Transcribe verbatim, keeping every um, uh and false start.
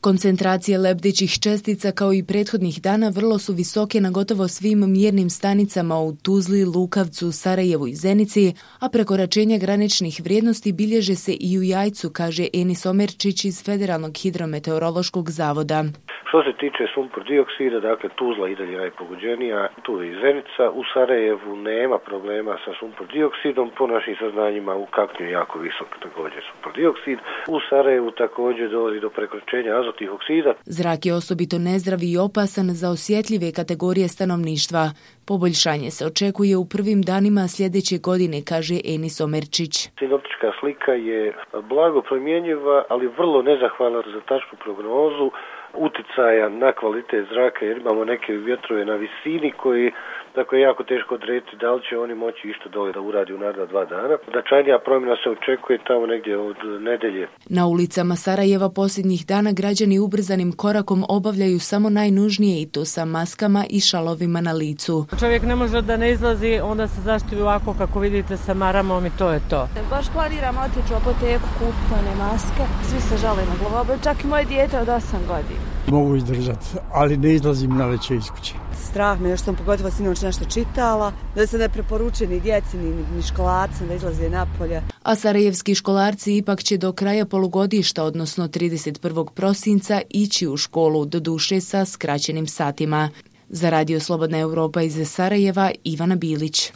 Koncentracije lebdećih čestica kao i prethodnih dana vrlo su visoke na gotovo svim mjernim stanicama u Tuzli, Lukavcu, Sarajevu i Zenici, a prekoračenje graničnih vrijednosti bilježe se i u Jajcu, kaže Enis Omerčić iz Federalnog hidrometeorološkog zavoda. Što se tiče sumpor dioksida, dakle Tuzla i dalje najpogođenija, tu je i Zenica. U Sarajevu nema problema sa sumpor dioksidom, po našim saznanjima u Kaknju je jako visok također sumpor dioksid. U Sarajevu također dolazi do prekoračenja azotnih oksida. Zrak je osobito nezdrav i opasan za osjetljive kategorije stanovništva. Poboljšanje se očekuje u prvim danima sljedeće godine, kaže Enis Omerčić. Sinoptička slika je blago promjenjiva, ali vrlo nezahvalna za tačnu prognozu uticaja na kvalitet zraka, jer imamo neke vjetrove na visini koji, dakle, je jako teško odrediti da li će oni moći išto dole da uradi u naredna dva dana. Značajnija promjena se očekuje tamo negdje od nedelje. Na ulicama Sarajeva posljednjih dana građani ubrzanim korakom obavljaju samo najnužnije, i to sa maskama i šalovima na licu. Čovjek ne može da ne izlazi, onda se zaštiti ovako kako vidite sa maramom i to je to. Baš planiramo otići u apoteku, kupiti one maske. Svi se žale na glavobolju, čak i moje dijete od osam godina. Mogu izdržati, ali ne izlazim na večer iz kuće. Strah me, još sam pogotovo sinoć nešto čitala, da se ne preporučuje ni djeci, ni, ni školacima da izlaze napolje. A sarajevski školarci ipak će do kraja polugodišta, odnosno trideset prvog prosinca, ići u školu, doduše sa skraćenim satima. Za Radio Slobodna Europa iz Sarajeva, Ivana Bilić.